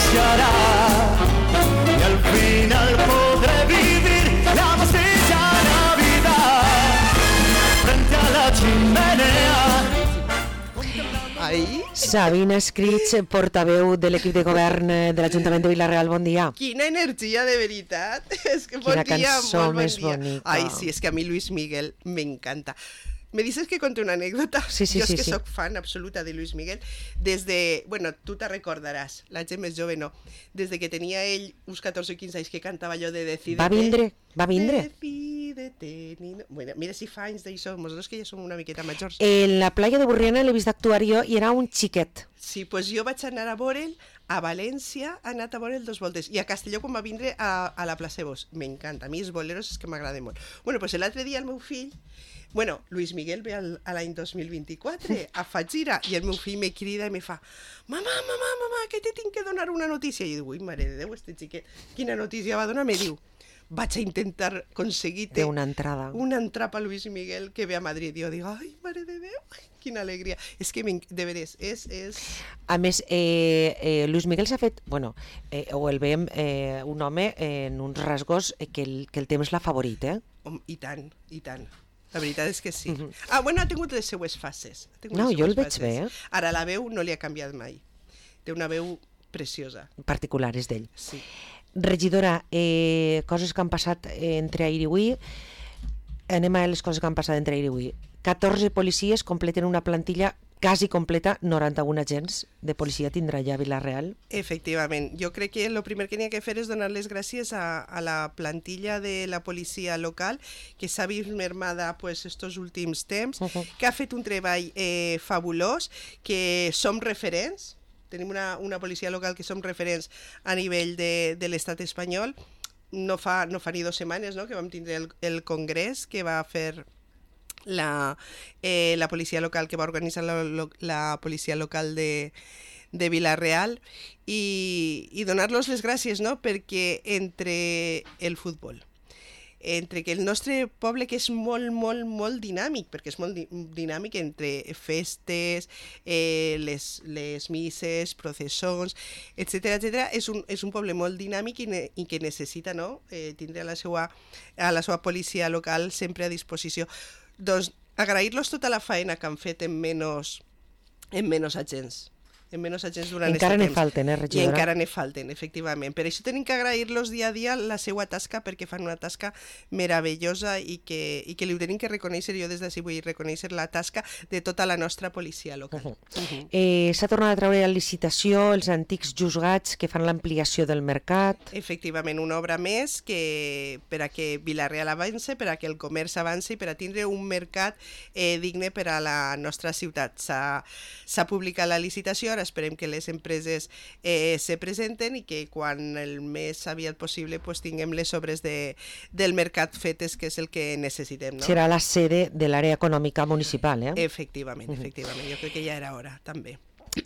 estallará y al final podré vivir la más bella Navidad frente a la chimenea. Ai, Sabina Escrits, portaveu de l'equip de govern de l'Ajuntament de Vila-real, bon dia. quina energia, de veritat. És que bon Quina dia, cançó molt bon més dia. bonica. Ai, sí, és que a mi Luis Miguel me encanta. Me dices que conté una anécdota. Sí, Jo és que sí. soc fan absoluta de Luis Miguel. Desde, bueno, tu te recordaràs, la gent més jove no. Des de que tenia ell uns 14 o 15 anys que cantava allò de Decídete. Va vindre? Decídete. Bueno, mira si fa anys d'això, nosaltres que ja som una miqueta majors. En la playa de Burriana l'he vist actuar jo i era un xiquet. Sí, doncs jo vaig anar a veure'l a València, ha anat a veure'l 2 voltes, i a Castelló quan va vindre a la Plaça Bos. M'encanta, a mi els boleros és que m'agrada molt. Bueno, doncs l'altre dia el meu fill, bueno, Luis Miguel ve a l'any 2024 a fa gira, i el meu fill me crida i me fa mamà, que te tinc que donar una notícia. I jo dic, ui, mare de Déu, este xiquet, quina notícia va donar? Me diu, vaig a intentar aconseguir-te Una entrada. una entrada a Luis Miguel que ve a Madrid. I jo dic, ai, mare de Déu, quina alegria. És que, de veres, és... A més, Luis Miguel s'ha fet, bueno, o el veiem un home en uns rasgos que el temps l'ha favorit, eh? I tant, i tant. La veritat és que sí. Ah, bueno, ha tingut les seues fases. No, jo el veig bé, eh? Ara la veu no li ha canviat mai. Té una veu preciosa. Particulars d'ell. Sí. Regidora, coses que han passat entre ahir i avui. Anem a les coses que han passat entre ahir i avui. 14 policies completen una plantilla quasi completa, 91 agents de policia tindrà ja Vila-real. Efectivament. Jo crec que el primer que n'hi ha que fer és donar les gràcies a la plantilla de la policia local, que s'ha vist mermada pues, estos últims temps, que ha fet un treball fabulós, que som referents. Tenim una policia local que som referents a nivell de l'estat espanyol. No fa ni 2 setmanes, no?, que vam tindre el congrés que va fer la policia local, que va organitzar la policia local de Vila-real, i donar-los les gràcies, no?, perquè entre el futbol, entre que el nostre poble, que és molt, molt, molt dinàmic, perquè és molt dinàmic entre festes, les misses, processons, etc., és un poble molt dinàmic i que necessita, no?, tindre a la seva policia local sempre a disposició. Doncs agrair-los tota la feina que han fet en menys agents. Durant encara aquest ne temps. falten, regidora? I encara ne falten, efectivament. Per això tenim que agrair-los dia a dia la seva tasca, perquè fan una tasca meravellosa i que li ho tenim que reconèixer. Jo des d'ací vull reconèixer la tasca de tota la nostra policia local. S'ha tornat a treure a licitació els antics juzgats que fan l'ampliació del mercat. Efectivament, una obra més que per a que Vila-real avance, per a que el comerç avance i per a tindre un mercat digne per a la nostra ciutat. S'ha publicat la licitació, ara esperem que les empreses se presenten i que quan el més aviat possible pues, tinguem les obres del mercat fetes, que és el que necessitem. No? Serà la sede de l'àrea econòmica municipal, eh? Efectivament. Jo crec que ja era hora, també.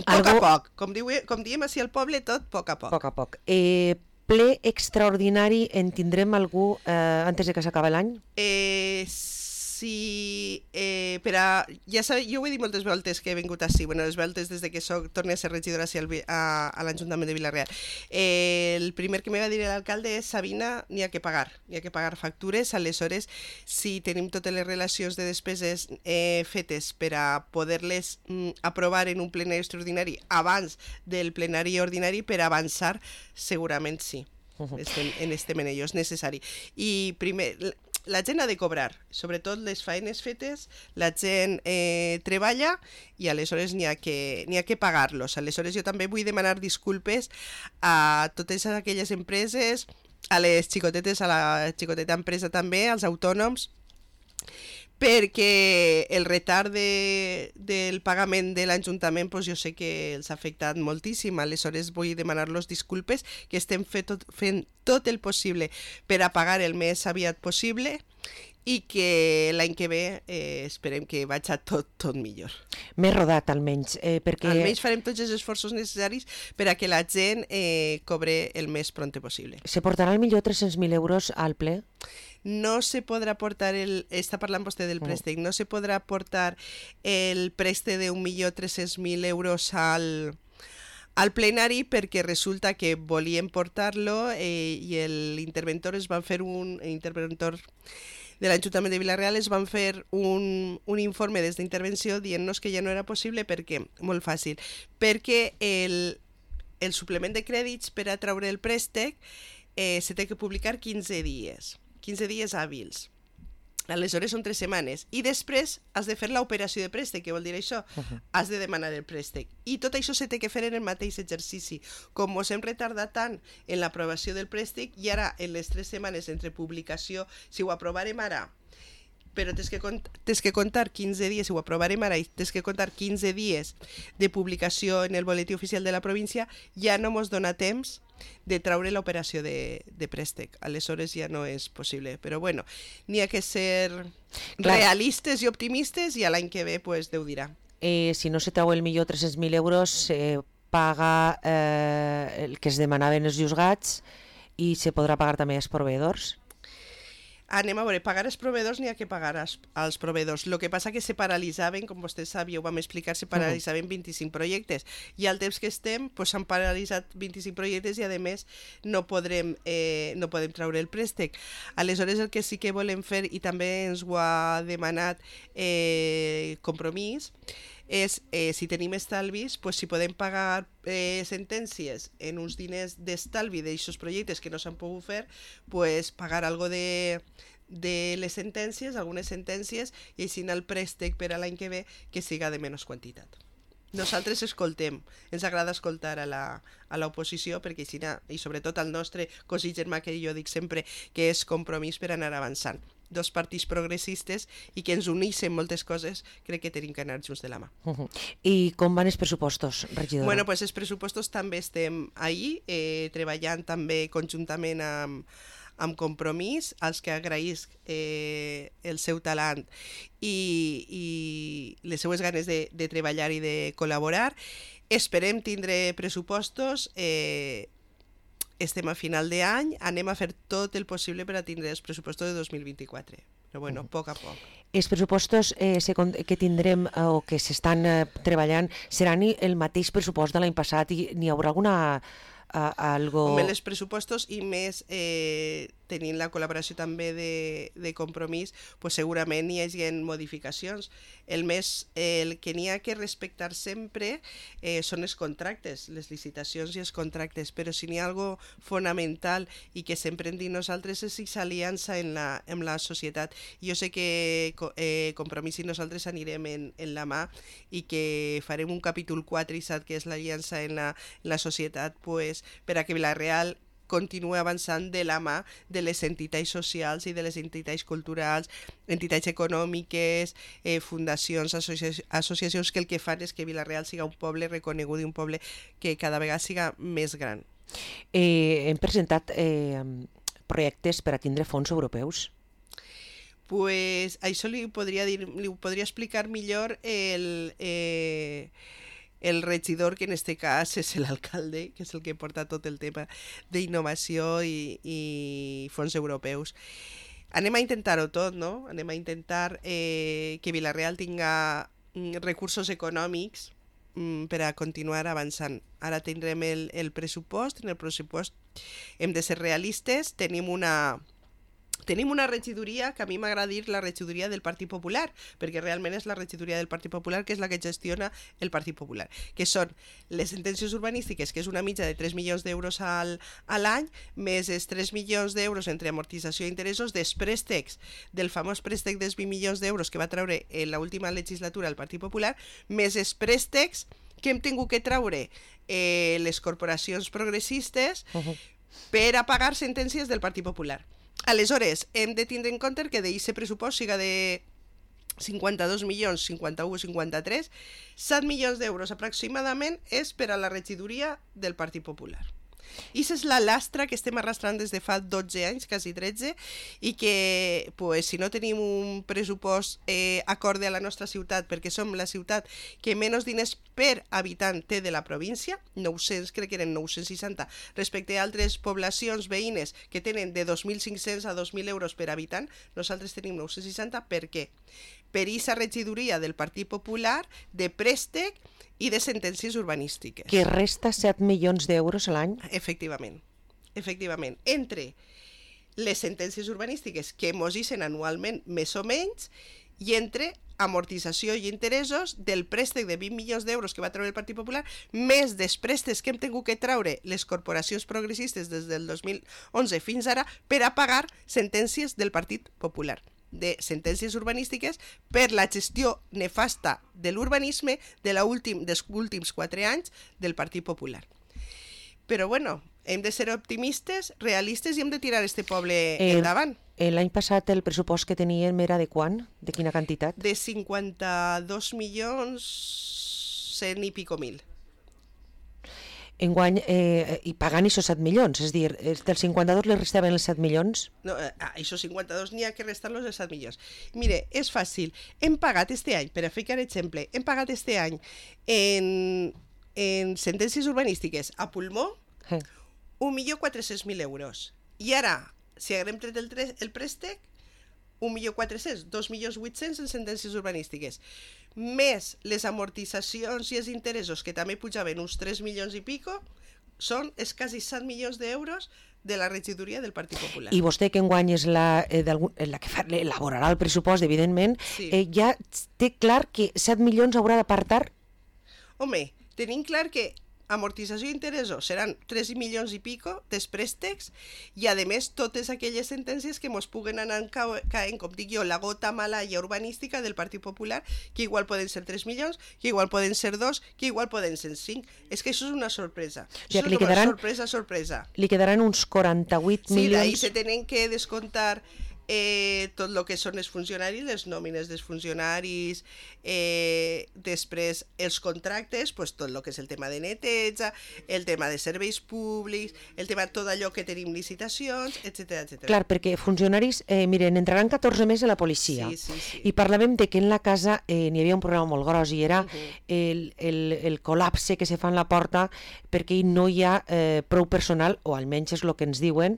Poc a poc. Com diem així al poble, tot poc a poc. Poc a poc. Ple extraordinari en tindrem algú antes de que s'acabi l'any? Sí, ja sabeu, jo ho he dit moltes voltes que he vingut així, les voltes des que torno a ser regidora a l'Ajuntament de Vila-real. El primer que me va dir l'alcalde és, Sabina, n'hi ha que pagar factures, aleshores, si tenim totes les relacions de despeses fetes per a poder-les aprovar en un plenari extraordinari abans del plenari ordinari, per avançar, segurament sí. En este menello és necessari. I primer, la gent ha de cobrar, sobretot les feines fetes, la gent treballa i aleshores n'hi ha que pagar-los. Aleshores jo també vull demanar disculpes a totes aquelles empreses, a les xicotetes, a la xicoteta empresa també, als autònoms, perquè el retard del pagament de l'Ajuntament jo sé que els ha afectat moltíssim, aleshores vull demanar-los disculpes, que estem fent tot el possible per a pagar el més aviat possible i que l'any que ve esperem que vagi tot millor. Més rodat, almenys. Perquè... Almenys farem tots els esforços necessaris per a que la gent cobre el més pronte possible. Se portarà al millor 300.000 euros al ple? No se podrà portar està parlant vostè del préstec, no se podrà portar el préstec de 1.300.000 euros al plenari perquè resulta que volien portar-lo i l'interventor interventor de l'Ajuntament de Vila-real es van fer un informe des d'intervenció dient-nos que ja no era possible perquè, molt fàcil, perquè el suplement de crèdits per a treure el préstec se té que publicar 15 dies hàbils. Aleshores són 3 setmanes. I després has de fer l'operació de préstec. Què vol dir això? Has de demanar el préstec. I tot això se té que fer en el mateix exercici. Com ens hem retardat tant en l'aprovació del préstec, i ara en les 3 setmanes entre publicació, si ho aprovarem ara, però tens que comptar 15 dies, si ho aprovarem ara, i tens que comptar 15 dies de publicació en el boletí oficial de la província, ja no ens dona temps de treure l'operació de préstec. Aleshores ja no és possible. Però bueno, n'hi ha que ser realistes i optimistes i l'any que ve pues, Déu dirà. Si no se treu el millor 300.000 euros, paga el que es demanaven els juzgats i se podrà pagar també als proveïdors? Anem a veure, pagar als proveïdors n'hi ha que pagar als proveïdors. El que passa que se paralitzaven, com vostè sap, ja ho vam explicar, se paralitzaven 25 projectes. I al temps que estem s'han paralitzat 25 projectes i, a més, no podem treure el préstec. Aleshores, el que sí que volem fer, i també ens ho ha demanat Compromís, és, si tenim estalvis, si podem pagar sentències en uns diners d'estalvi d'aixòs projectes que no s'han pogut fer, pagar algo de les sentències, algunes sentències, i així el préstec per a l'any que ve que siga de menys quantitat. Nosaltres escoltem, ens agrada escoltar a l'oposició perquè així, i sobretot al nostre cosí germà que jo dic sempre que és Compromís per anar avançant. 2 partits progressistes i que ens uneixen moltes coses, crec que tenim que anar junts de la mà. I com van els pressupostos, regidora? Bueno, els pressupostos també estem ahí, treballant també conjuntament amb Compromís, als que agraïsc el seu talent i les seues ganes de treballar i de col·laborar. Esperem tindre pressupostos, estem a final d'any, anem a fer tot el possible per a tindre els pressupostos de 2024. Però bueno, a poc a poc. Els pressupostos que tindrem o que s'estan treballant seran el mateix pressupost de l'any passat i n'hi haurà alguna algo... Home, els pressupostos i més tenint la col·laboració també de Compromís, segurament hi hagi modificacions. El que n'hi ha que respectar sempre són els contractes, les licitacions i els contractes, però si n'hi ha algo fonamental i que sempre hem dit nosaltres és l'aliança amb la societat. Jo sé que Compromís i nosaltres anirem en la mà i que farem un capítol 4 i 7 que és l'aliança en la societat per a que Vila-real continua avançant de la mà de les entitats socials i de les entitats culturals, entitats econòmiques, fundacions, associacions que el que fan és que Vila-real siga un poble reconegut i un poble que cada vegada siga més gran. Hem presentat projectes per a tindre fons europeus? Això li podria explicar millor el regidor, que en este cas és l'alcalde, que és el que porta tot el tema d'innovació i fons europeus. Anem a intentar-ho tot, no? Anem a intentar que Vila-real tinga recursos econòmics per a continuar avançant. Ara tindrem el pressupost. En el pressupost hem de ser realistes. Tenim una regidoria que a mi m'agrada dir la regidoria del Partit Popular, perquè realment és la regidoria del Partit Popular que és la que gestiona el Partit Popular, que són les sentències urbanístiques, que és una mitja de 3 milions d'euros a l'any, més els 3 milions d'euros entre amortització i interessos dels préstecs, del famós préstec dels 20 milions d'euros que va treure en l'última legislatura el Partit Popular, més els préstecs que hem tingut que treure les corporacions progressistes per a pagar sentències del Partit Popular. Aleshores, hem de tindre en compte que d'aquest pressupost siga de 52 milions, 51, 53, 7 milions d'euros aproximadament és per a la regidoria del Partit Popular. I és la lastra que estem arrastrant des de fa 12 anys, quasi 13, i que si no tenim un pressupost acorde a la nostra ciutat, perquè som la ciutat que menys diners per habitant té de la província, 900, crec que eren 960, respecte a altres poblacions veïnes que tenen de 2.500 a 2.000 euros per habitant, nosaltres tenim 960. Per què? Per aquesta regidoria del Partit Popular de préstec i de sentències urbanístiques. Que resta 7 milions d'euros a l'any. Efectivament. Entre les sentències urbanístiques que mos ixen anualment més o menys i entre amortització i interessos del préstec de 20 milions d'euros que va treure el Partit Popular, més dels préstecs que hem tingut que treure les corporacions progressistes des del 2011 fins ara per a pagar sentències del Partit Popular, de sentències urbanístiques per la gestió nefasta de l'urbanisme dels últims 4 anys del Partit Popular. Però bueno, hem de ser optimistes, realistes i hem de tirar este poble endavant. L'any passat el pressupost que teníem era de quant? De quina quantitat? De 52 milions 100 i pico mil. Enguany, i pagant aquests 7 milions, és a dir, dels 52 li restaven els 7 milions? No, a aquests 52 n'hi ha que restar-los els 7 milions. Mire, és fàcil. Hem pagat este any, per a ficar exemple, hem pagat este any en sentències urbanístiques a pulmó 1.400.000 euros. I ara, si haguem tret el préstec, 1.400.000, 2.800.000 en sentències urbanístiques. Més les amortitzacions i els interessos, que també pujaven uns 3 milions i pico, són quasi 7 milions d'euros de la regidoria del Partit Popular. I vostè, que enguany és la que elaborarà el pressupost, evidentment, ja té clar que 7 milions haurà d'apartar? Home, tenim clar que amortització i interessos seran 3 milions i pico dels préstecs i, a més, totes aquelles sentències que mos puguen anar caent, com dic jo, la gota malaia urbanística del Partit Popular, que igual poden ser 3 milions, que igual poden ser 2, que igual poden ser 5. És que això és una sorpresa. Això és una sorpresa. Li quedaran uns 48 milions... Sí, d'ahí se tenen que descomptar tot el que són els funcionaris, les nòmines dels funcionaris, després els contractes, pues, tot el que és el tema de neteja, el tema de serveis públics, el tema de tot allò que tenim licitacions, etc. Clar, perquè funcionaris, miren, entraran 14 més a la policia. Sí. I parlàvem de que en la casa n'hi havia un problema molt gros i era el col·lapse que se fa en la porta perquè no hi ha prou personal, o almenys és el que ens diuen.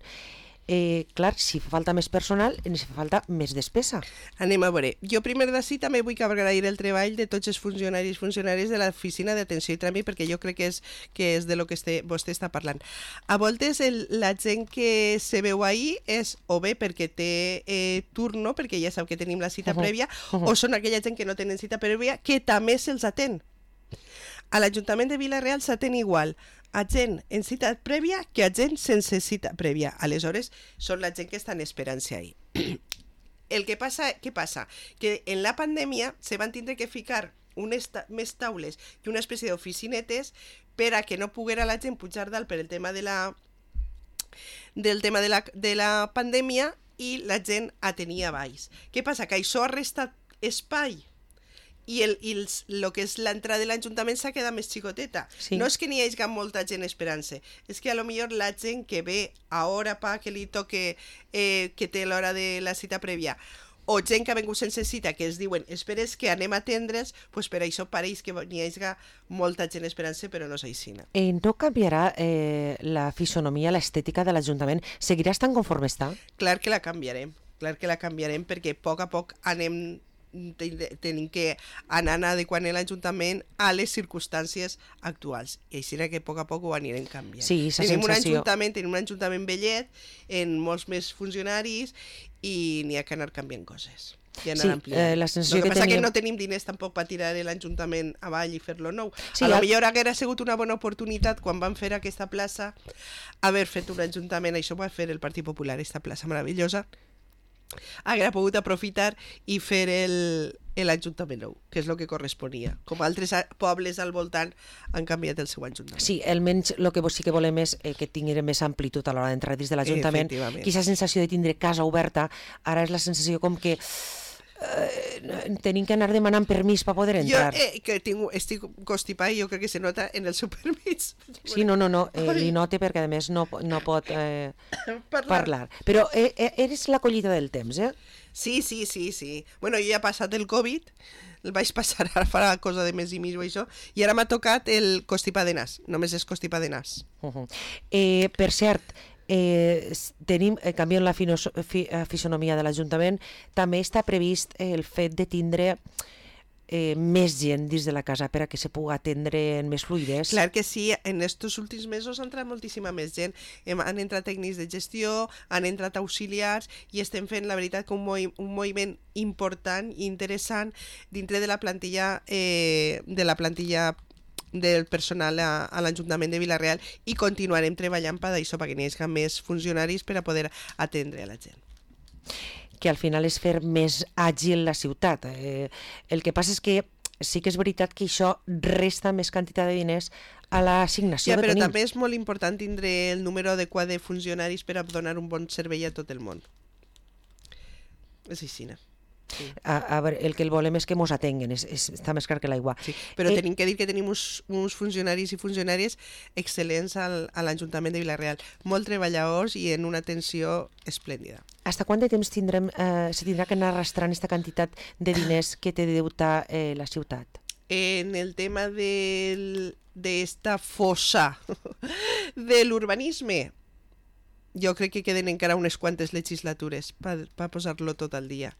Clar, si fa falta més personal, ens fa falta més despesa. Anem a veure. Jo primer d'ací també vull agrair el treball de tots els funcionaris de l'oficina d'atenció i tràmit, perquè jo crec que és de lo que vostè està parlant. A voltes la gent que se veu ahir és o bé perquè té turno, perquè ja sap que tenim la cita prèvia, o són aquella gent que no tenen cita prèvia, que també se'ls atén. A l'Ajuntament de Vila-real s'atén igual a gent en cita prèvia que a gent sense cita prèvia. Aleshores, són la gent que estan esperant-se ahí. Què passa? Que en la pandèmia se van tindre que ficar més taules i una espècie d'oficinetes per a que no poguera la gent pujar dalt per el tema de la pandèmia i la gent atenia baix. Què passa? Que això ha restat espai i el que és l'entrada de l'Ajuntament s'ha quedat més xicoteta. Sí. No és que n'hi hagi molta gent esperant-se, és que a lo millor la gent que ve a hora que li toque, que té l'hora de la cita prèvia, o gent que ha vingut sense cita, que es diuen esperes que anem a atendre's, pues per això pareix que n'hi hagi molta gent esperant-se, però no és així. No canviarà la fisonomia, l'estètica de l'Ajuntament? Seguirà estant conforme està? Clar que la canviarem, perquè a poc tenim que anar adequant l'Ajuntament a les circumstàncies actuals, i així que a poc ho anirem canviant. Sí, tenim un ajuntament vellet, en molts més funcionaris, i n'hi ha que anar canviant coses. La sensació que passa que no tenim diners tampoc per tirar l'Ajuntament avall i fer-lo nou. A lo millor haguera sigut una bona oportunitat quan van fer aquesta plaça haver fet un ajuntament, això va fer el Partit Popular, aquesta plaça meravellosa, haguera pogut aprofitar i fer l'Ajuntament nou, que és el que corresponia. Com altres pobles al voltant han canviat el seu Ajuntament. Sí, almenys el que sí que volem és que tinguin més amplitud a l'hora d'entrar dins de l'Ajuntament. Aquesta sensació de tindre casa oberta, ara és la sensació com que tenim que anar demanant permís per poder entrar. Jo que estic constipat i jo crec que se nota en el seu permís. Sí, no, li note perquè a més no pot parlar. Però eres la collita del temps, eh? Sí. Bueno, jo ja he passat el Covid, el vaig passar ara fa cosa de mes i mig o això, i ara m'ha tocat el constipat de nas, només és constipat de nas. Per cert, canviant la fisonomia de l'Ajuntament, també està previst el fet de tindre més gent dins de la casa per a que se pugui atendre en més fluidesa. Clar que sí, en estos últims mesos ha entrat moltíssima més gent. Han entrat tècnics de gestió, han entrat auxiliars i estem fent, la veritat, que un moviment important i interessant dintre de la plantilla del personal a l'Ajuntament de Vila-real, i continuarem treballant per això, perquè n'hi hagi més funcionaris per a poder atendre a la gent. Que al final és fer més àgil la ciutat. El que passa és que sí que és veritat que això resta més quantitat de diners a l'assignació que però tenim. també és molt important tindre el número adequat de funcionaris per a donar un bon servei a tot el món. És així, no? Sí. A veure, el que el volem és que mos atenguen, està més clar que l'aigua. Sí, però tenim que dir que tenim uns funcionaris i funcionàries excel·lents a l'Ajuntament de Vila-real, molt treballadors i en una atenció esplèndida. Hasta quant de temps se tindrà que anar arrastrant aquesta quantitat de diners que té de deutar la ciutat? En el tema d'esta fossa de l'urbanisme, jo crec que queden encara unes quantes legislatures per posar-lo tot al dia.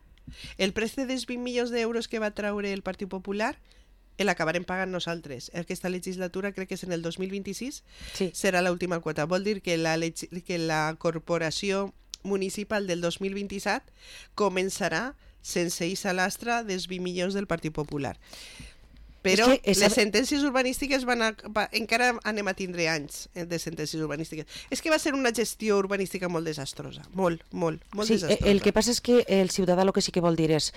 El préstec dels 20 milions d'euros que va traure el Partit Popular l'acabarem pagant nosaltres. Aquesta legislatura, crec que és en el 2026, Sí. serà l'última quota. Vol dir que la corporació municipal del 2027 començarà sense eixa lastra dels 20 milions del Partit Popular. Però les sentències urbanístiques encara anem a tindre anys de sentències urbanístiques. És que va ser una gestió urbanística molt desastrosa, molt desastrosa. El que passa és que el ciutadà el que sí que vol dir és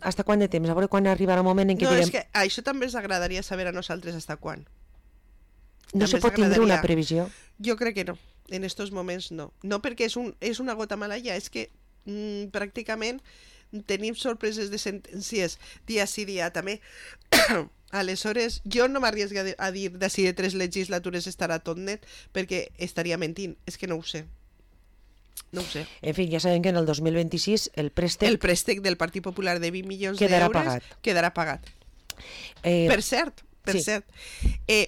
hasta quant de temps, a veure quan arribarà un moment en què direm... No, és que això també ens agradaria saber a nosaltres hasta quan. No se pot tindre una previsió? Jo crec que no, en estos moments no. No perquè és una gota malaia, és que pràcticament tenim sorpreses de sentències dia sí dia també. Aleshores, jo no m'arriesgo a dir de si de 3 legislatures estarà tot net, perquè estaria mentint. És que no ho sé. No ho sé. En fi, ja sabem que en el 2026 el préstec del Partit Popular de 20 milions quedarà d'euros quedarà pagat. Per cert,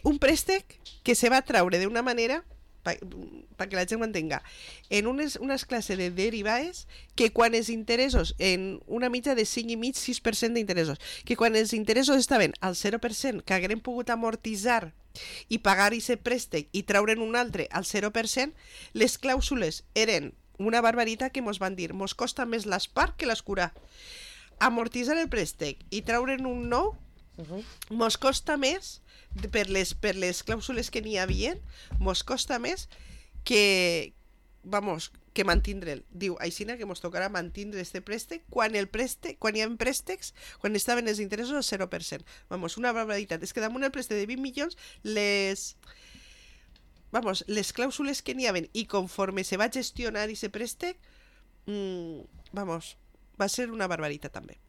un préstec que se va traure d'una manera, perquè la gent ho entenga, en unes classes de derivades que quan els interessos, en una mitja de 5,5-6% d'interessos, que quan els interessos estaven al 0%, que hagueren pogut amortitzar i pagar aquest préstec i traure'n un altre al 0%, les clàusules eren una barbaritat que mos van dir, mos costa més l'espart que l'escurar. Amortitzar el préstec i traure'n un nou mos costa més, per les clàusules que n'hi havia, mos costa més que mantindre'l. Diu, aixina que mos tocarà mantindre este préstec quan hi ha préstecs, quan estaven els interessos al 0%. Una barbaritat. És que damunt el préstec de 20 milions, les clàusules que n'hi havia i conforme se va gestionar aquest préstec, va ser una barbaritat també.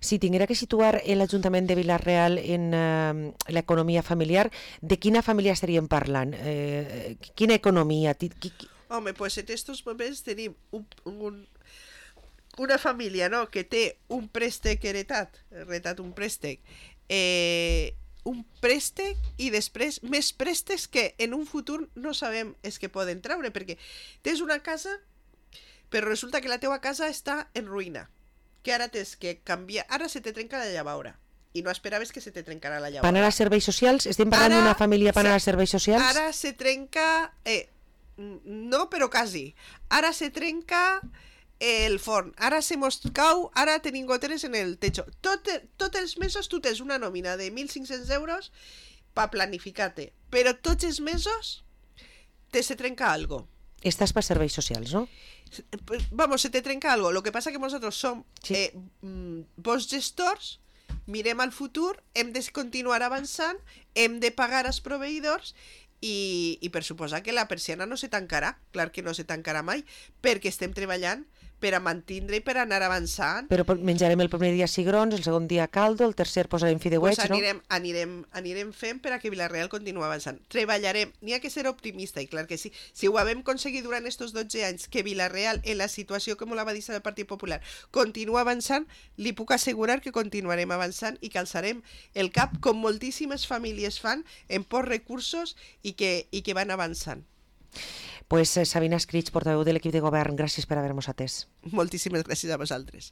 Si tinguera que situar l'Ajuntament de Vila-real en l'economia familiar, de quina família estaríem parlant? Quina economia? Home, doncs en aquests moments tenim una família, no?, que té un préstec heretat un préstec, i després més préstecs que en un futur no sabem és que poden treure, perquè tens una casa, però resulta que la teva casa està en ruïna, que ara tens que canviar, ara se te trenca la llavadora i no esperaves que se te trencarà la llavadora. Per anar a serveis socials? Estem parlant d'una família per anar a serveis socials? Ara se trenca, no, però quasi. Ara se trenca el forn, ara se mos cau, ara tenim goteres en el techo. Tots els mesos tu tens una nòmina de 1.500 euros per planificar-te, però tots els mesos se trenca algo. Estàs per serveis socials, no? Se te trenca algo. Lo que pasa que nosotros som bons gestors, mirem al futur, hem de continuar avançant, hem de pagar als proveïdors i per suposar que la persiana no se tancarà. Clar que no se tancarà mai, perquè estem treballant per a mantindre i per anar avançant. Però menjarem el primer dia cigrons, el segon dia caldo, el tercer posarem fideuets, no? Anirem fent per a que Vila-real continuï avançant. Treballarem, n'hi ha que ser optimista, i clar que sí. Si ho vam aconseguit durant aquests 12 anys, que Vila-real, en la situació com la va dir el Partit Popular, continua avançant, li puc assegurar que continuarem avançant i que alçarem el cap, com moltíssimes famílies fan, en pocs recursos i que van avançant. Pues Sabina Escrig, portaveu de l'equip de govern, gràcies per haver-nos atès. Moltíssimes gràcies a vosaltres.